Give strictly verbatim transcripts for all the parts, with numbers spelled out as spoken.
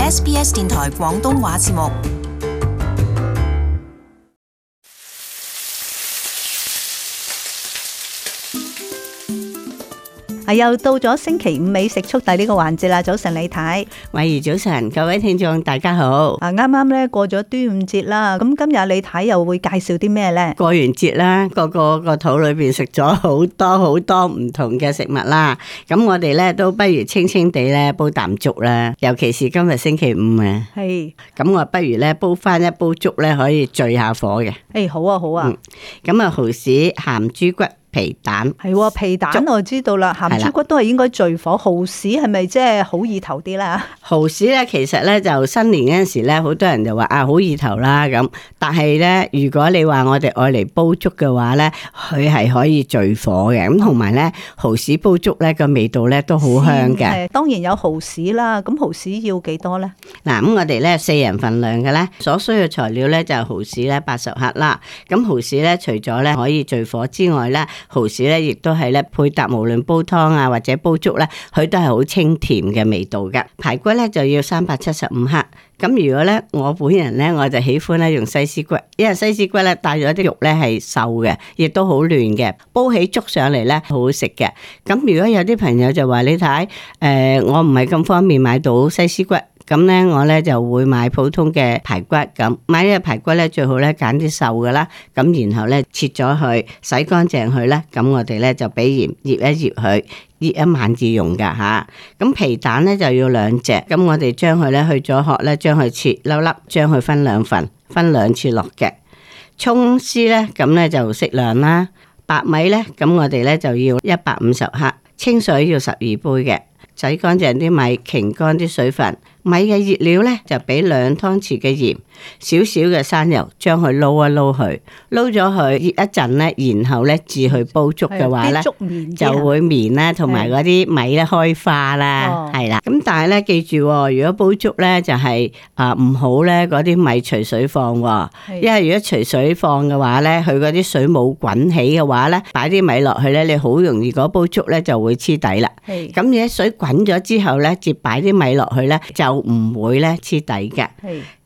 S B S 電台廣東話節目。係又到咗星期五美食速遞呢個環節啦！早晨李太，慧兒早晨，各位聽眾大家好。啊，啱啱咧過咗端午節啦，咁今日李太又會介紹啲咩咧？過完節啦，個個個肚裏邊食咗好多好多唔同嘅食物啦。咁我哋咧都不如清清地咧煲啖粥啦，尤其是今日星期五啊。係。咁我不如咧煲翻一煲粥咧，可以聚下火嘅。誒，好啊，好啊。咁啊，蠔豉鹹豬骨。皮蛋係皮蛋我知道啦，鹹豬骨都係應該聚火。蠔豉係咪即係好意頭啲啦？蠔豉咧，其實咧就新年嗰陣時咧，好多人就話啊好意頭啦咁。但係咧，如果你話我哋愛嚟煲粥嘅話咧，佢係可以聚火嘅。咁同埋咧，蠔豉煲粥咧個味道咧都好香嘅。當然有蠔豉啦，咁蠔豉要幾多咧？嗱，咁我哋咧四人份量嘅咧，所需嘅材料咧就係蠔豉咧八十克啦。咁蠔豉咧除咗咧可以聚火之外咧，蠔豉咧，亦都係咧配搭，無論煲湯啊或者煲粥咧，佢都係好清甜嘅味道㗎。排骨咧就要三百七十五克。咁如果咧我本人咧，我就喜歡咧用西施骨，因為西施骨咧帶咗啲肉咧係瘦嘅，亦都好嫩嘅，煲起粥上嚟咧好好食嘅。咁如果有啲朋友就話你睇，誒、呃、我唔係咁方便買到西施骨。咁咧，我咧就會買普通嘅排骨咁，買呢個排骨咧最好咧揀啲瘦嘅啦。咁然後咧切咗佢，洗乾淨佢咧，咁我哋咧就俾鹽醃一醃佢，醃一晚至用噶吓。咁皮蛋咧就要兩隻，咁我哋將佢咧去咗殼咧，將佢切粒粒，將佢分兩份，分兩次落嘅。蔥絲咧，咁咧就適量啦。白米咧，咁我哋咧就要一百五十克，清水要十二杯嘅。洗乾淨啲米，擎乾啲水分。米嘅熱料咧就俾兩湯匙嘅鹽，少少嘅生油，將佢撈一撈佢，撈咗佢熱一陣咧，然後咧至去煲粥嘅話咧，就會綿啦，同埋嗰啲米咧開花啦，係啦。咁但係咧記住，如果煲粥咧就係啊唔好咧嗰啲米隨水放，因為如果隨水放嘅話咧，佢嗰啲水冇滾起嘅話咧，擺啲米落去咧，你好容易嗰煲粥咧就會黐底啦。咁而家水滾咗之後咧，接擺啲米落去咧就唔會咧黐底嘅。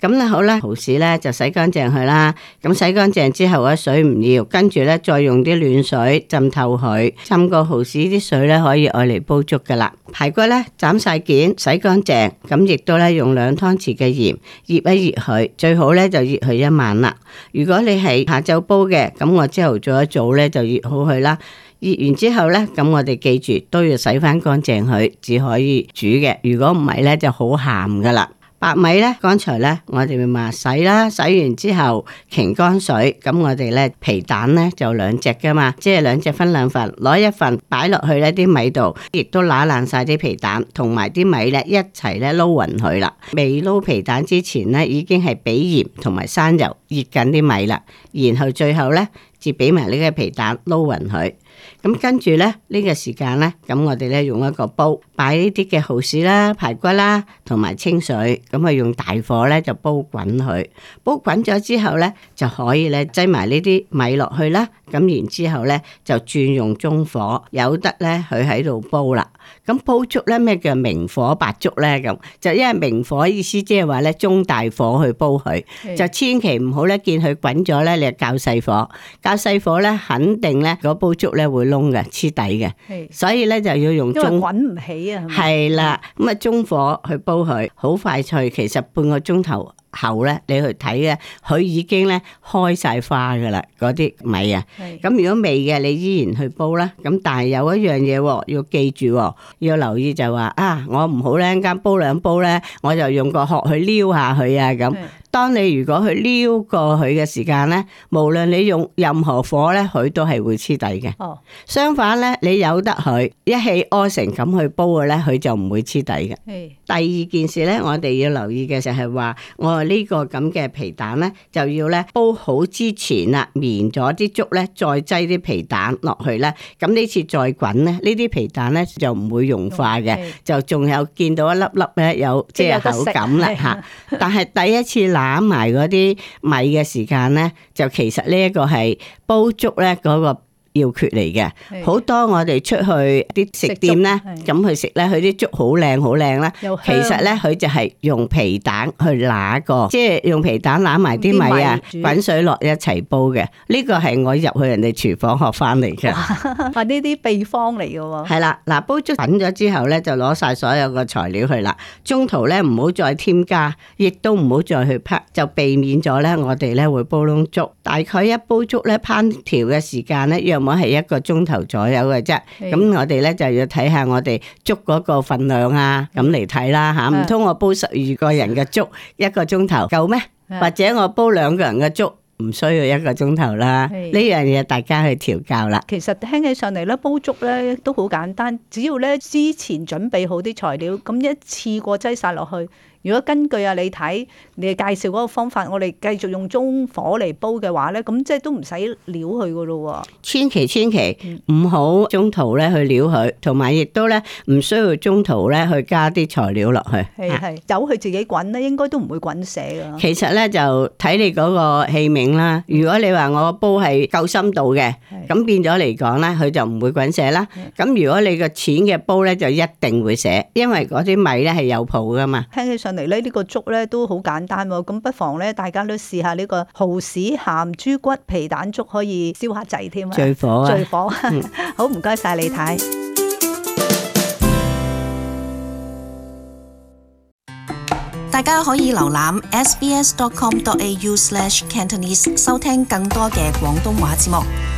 咁咧好啦，蠔豉咧就洗乾淨佢啦。咁洗乾淨之後咧水唔要，跟住咧再用啲暖水浸透佢，浸過蠔豉啲水咧可以愛嚟煲粥噶啦。排骨咧斬晒件，洗乾淨，咁亦都咧用兩湯匙嘅鹽醃一醃佢，最好咧就醃佢一晚啦。如果你係下晝煲嘅，咁我朝頭早一早咧就醃好佢啦。醃完之後咧，咁我哋記住都要洗翻乾淨佢，只可以煮嘅。如果唔係咧，就好鹹噶啦。白米咧，剛才咧我哋咪話洗啦，洗完之後擎乾水。咁我哋咧皮蛋咧就兩隻噶嘛，即係兩隻分兩份，攞一份擺落去呢啲米度，亦都揦爛晒啲皮蛋，同埋啲米咧一齊咧撈匀佢啦。未撈皮蛋之前咧，已經係俾鹽同埋生油熱緊啲米啦，然後最後咧至俾埋呢個皮蛋撈匀佢。咁跟住咧呢個時間咧，咁我哋咧用一個煲擺呢啲嘅蠔豉啦、排骨啦，同埋清水，咁啊用大火咧就煲滾佢。煲滾咗之後咧，就可以咧擠埋呢啲米落去啦。咁然之後咧就轉用中火，由得咧佢喺度煲啦。咁煲粥咧咩叫明火白粥咧？咁就因為明火意思即係話咧中大火去煲佢，就千祈唔好咧見佢滾咗咧，你就較細火，較細火咧肯定咧嗰煲粥咧會燶嘅黐底嘅，所以咧就要用中，因為滾唔起啊。係啦，咁啊中火去煲佢，好快脆，其實半個鐘頭後咧，你去睇咧，佢已經咧開晒花噶啦，嗰啲米啊。咁如果未嘅，你依然去煲啦。咁但係有一樣嘢要記住，要留意就話啊，我唔好咧，一間煲兩煲咧，我就用個殼去撩下佢啊咁。當你如果去撩過佢嘅時間咧，無論你用任何火咧，佢都係會黐底嘅。哦，相反咧，你由得佢一氣呵成咁去煲嘅咧，佢就唔會黐底嘅。第二件事咧，我哋要留意嘅就係話，我呢個咁嘅皮蛋咧，就要咧煲好之前啦，綿咗啲粥咧，再擠啲皮蛋落去咧，咁呢次再滾咧，呢啲皮蛋咧就唔會融化嘅，就仲有見到一粒粒咧有即係口感啦吓。但係第一次攬埋嗰啲米嘅時間咧，就其實呢一個係煲粥咧嗰個要訣嚟嘅。好多我哋出去啲食店咧，咁去食咧，佢啲粥好靚好靚啦。其實咧，佢就係用皮蛋去揦過，即係用皮蛋揦埋啲米啊，滾水落一齊煲嘅。呢個係我入去人哋廚房學翻嚟嘅。啊，呢啲秘方嚟嘅喎。係啦，嗱，煲粥滾咗之後咧，就攞晒所有嘅材料去啦。中途咧唔好再添加，亦都唔好再去烹，就避免咗咧我哋咧會煲燶粥。大概一煲粥咧烹調嘅時間咧，約莫係一個鐘頭左右嘅啫。咁我哋咧就要睇下我哋粥嗰個份量啊，咁嚟睇啦吓。唔通我煲十二個人嘅粥一個鐘頭夠咩？或者我煲兩個人嘅粥？唔需要一個鐘頭啦，呢樣嘢大家去調教啦。其實聽起上嚟咧，煲粥咧都好簡單，只要咧之前準備好啲材料，咁一次過擠晒落去。如果根據啊你睇你介紹嗰個方法，我哋繼續用中火嚟煲嘅話咧，咁即係都唔使撩佢噶咯。千祈千祈唔好中途咧去撩佢，同埋亦都咧唔需要中途咧去加啲材料落去。係係，由佢自己滾咧，應該都唔會滾瀉噶。其實咧就睇你嗰個器皿啦。如果你話我個煲係夠深度嘅，咁變咗嚟講咧，佢就唔會滾瀉啦。咁如果你個淺嘅煲咧，就一定會瀉，因為嗰啲米咧係有泡噶嘛。聽起上嚟咧呢個粥咧都好簡單喎，咁不妨咧大家都試下呢個蠔豉鹹豬骨皮蛋粥，可以燒下滯添啊！最火啊！最火，嗯、好唔該晒李太。大家可以瀏覽 s b s dot com dot a u slash cantonese 收聽更多嘅廣東話節目。